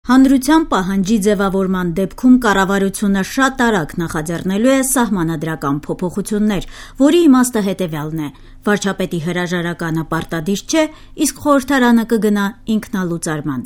Հանրության պահանջի ձևավորման դեպքում կառավարությունը շատ արագ նախաձեռնելու է սահմանադրական փոփոխություններ, որի իմաստը հետևյալն է. վարչապետի հրաժարականը պարտադիր չէ, իսկ խորհրդարանը կգնա ինքնալուծարման։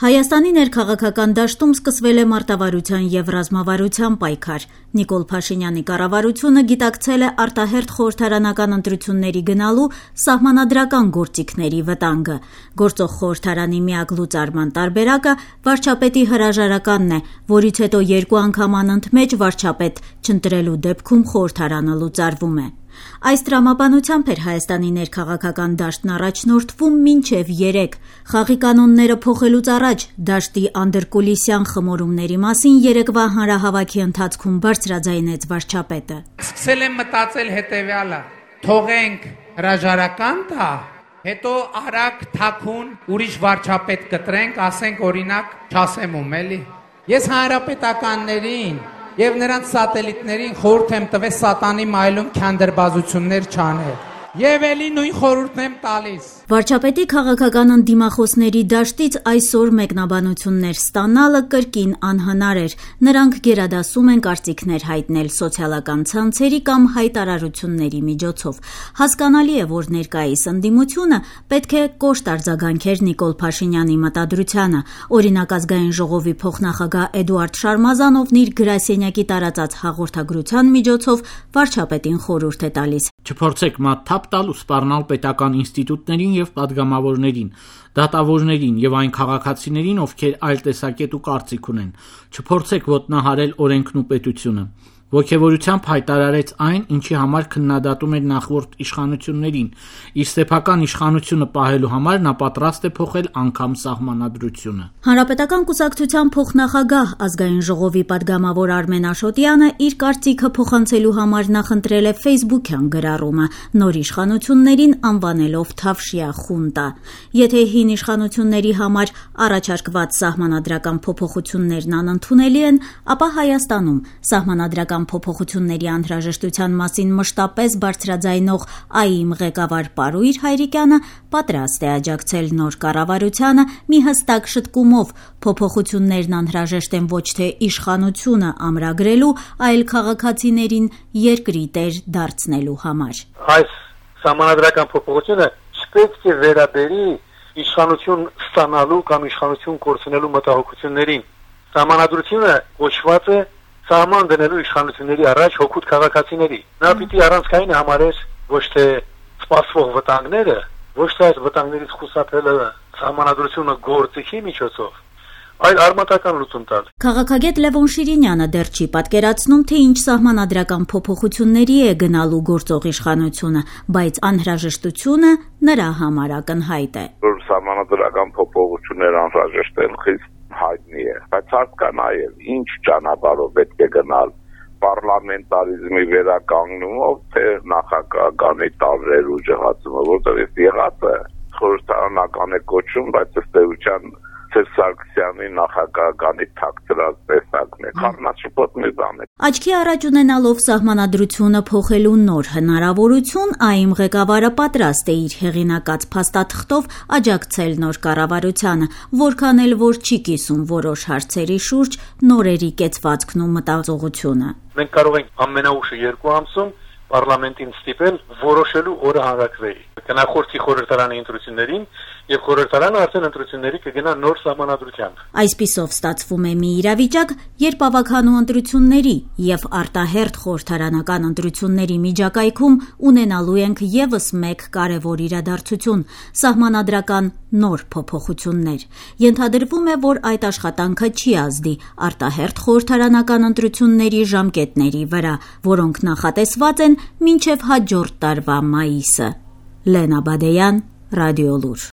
Հայաստանի ներքաղաքական դաշտում սկսվել է մարտավարության եւ ռազմավարության պայքար։ Նիկոլ Փաշինյանի կառավարությունը գիտակցել է արտահերթ խորհրդարանական ընտրությունների գնալու սահմանադրական գործիքների վտանգը։ Գործող խորհրդարանի միակ լուծարման տարբերակը վարչապետի հրաժարականն է, որից հետո 2 անգամ անընդմեջ վարչապետ չընտրելու դեպքում խորհրդարանը լուծարվում է։ Այս տրամաբանությամբ էր Հայաստանի ներքաղաքական դաշտն առաջնորդվում մինչև 3 խաղի կանոնները փոխելուց առաջ դաշտի անդրկուլիսյան խմորումների մասին երեկվա հանրահավաքի ընթացքում բարձրաձայնեց վարչապետը։ Սկսել եմ մտածել հետևյալը. թողենք հրաժարական տա, հետո արագ թաքուն ուրիշ վարչապետ կտրենք, ասենք օրինակ, չասեմ ում էլի։ Ես հանրապետականներին եւ նրանց սատելիտներին խորհուրդ եմ տվել սատանի մայլում քանդրբազություններ չանել։ Եվ էլի նույն խորհուրդն եմ տալիս։ Վարչապետի քաղաքական ընդդիմախոսների դաշտից այսօր մեկնաբանություններ ստանալը կրկին անհնար էր։ Նրանք գերադասում են կարծիքներ հայտնել սոցիալական ցանցերի կամ հայտարարությունների միջոցով։ Հասկանալի է, որ ներկայիս ընդդիմությունը պետք է կոշտ արձագանքեր Նիկոլ Փաշինյանի մտադրությանը։ Օրինակ Ազգային ժողովի փոխնախագահ Էդուարդ Շարմազանովն իր գրասենյակի տարածած հաղորդագրության միջոցով վարչապետին խորհուրդ է տալիս. Չփորձեք մատ թափ տալ ու սպառնալ պետական ինստիտուտներին եւ պատգամավորներին, դատավորներին եւ այն քաղաքացիներին, ովքեր այլ տեսակետ ու կարծիք ունեն։ Չփորձեք ոտնահարել օրենքն ու պետությունը։ Ոգևորությամբ հայտարարեց այն, ինչի համար քննադատում էր նախորդ իշխանություններին։ Իր սեփական իշխանությունը պահելու համար նա պատրաստ է փոխել անգամ սահմանադրությունը։ Հանրապետական կուսակցության փոխնախագահ Ազգային ժողովի պատգամավոր Արմեն Աշոտյանը իր կարծիքը փոխանցելու համար նախընտրել է Facebook-յան գրառումը, նոր իշխանություններին անվանելով Թավշյա խունտա։ Եթե հին իշխանությունների համար առաջարկված սահմանադրական փոփոխություններն անընդունելի են, ապա Հայաստանում սահմանադրական փոփոխությունների անհրաժեշտության մասին մշտապես բարձրաձայնող ԱԻՄ ղեկավար Պարույր Հայրիկյանը պատրաստ է աջակցել նոր կառավարությանը մի հստակ շտկումով փոփոխություններն անհրաժեշտ են ոչ թե իշխանությունը ամրագրելու, այլ քաղաքացիներին երկրի տեր դարձնելու համար։ Այս սահմանադրական փոփոխությունը չպետք է վերաբերի իշխանություն ստանալու կամ իշխանություն կորցնելու մտահոգություններին։ Սահմանադրությունը կոչված է սահման դնելու իշխանությունների առաջ հօգուտ քաղաքացիների։ Նա պիտի առանցքային համարեր ոչ թե սպասվող վտանգները, ոչ թե այս վտանգներից խուսափելը սահմանադրությունը գործիքի միջոցով, այլ արմատական լուծում տալ։ Քաղաքագետ Լևոն Շիրինյանը դեռ չի պատկերացնում, թե ինչ սահմանադրական փոփոխությունների է գնալու գործող իշխանությունը, բայց անհրաժեշտությունը նրա համար ակնհայտ է։ Որ սահմանադրական փոփոխություններ անհրաժեշտ են, խիստ հայտնի է, բայց հարկ կա նաև ինչ ճանապարհով պետք է գնալ պարլամենտարիզմի վերականգնումով, թե նախագահանի տարրեր ու ջհացումը, որտեղ եղած է խորհրդարանական է կոչում, բայց ըստ էության Սարգսյանի նախագահանի թաքցրած տեսակն է, խառնաշփոթ մի բան է։ Աչքի առաջ ունենալով սահմանադրությունը փոխելու նոր հնարավորություն, ԱԻՄ ղեկավարը պատրաստ է իր հեղինակած փաստաթղթով աջակցել նոր կառավարությանը, որքան էլ որ չի կիսում որոշ հարցերի շուրջ նորերի կեցվածքն ու մտածողությունը։ Մենք կարող ենք ամենաուշը 2 ամսում պարլամենտին ստիպել որոշելու օրը հանրաքվեի։ Կնախորդի խորհրդարանի ընտրություններին եւ խորհրդարանը արդեն ընտրությունների կգնա նոր սահմանադրությամբ։ Այսպիսով ստացվում է մի իրավիճակ, երբ ավագանու ընտրությունների եւ արտահերթ խորհրդարանական ընտրությունների միջակայքում ունենալու ենք եւս մեկ կարեւոր իրադարձություն՝ սահմանադրական նոր փոփոխություններ։ Ենթադրվում է, որ այդ աշխատանքը չի ազդի արտահերթ խորհրդարանական ընտրությունների ժամկետների վրա, որոնք նախատեսված են մինչև հաջորդ տարվա մայիսը։ Լենա Բադեյան, Ռադիոլուր։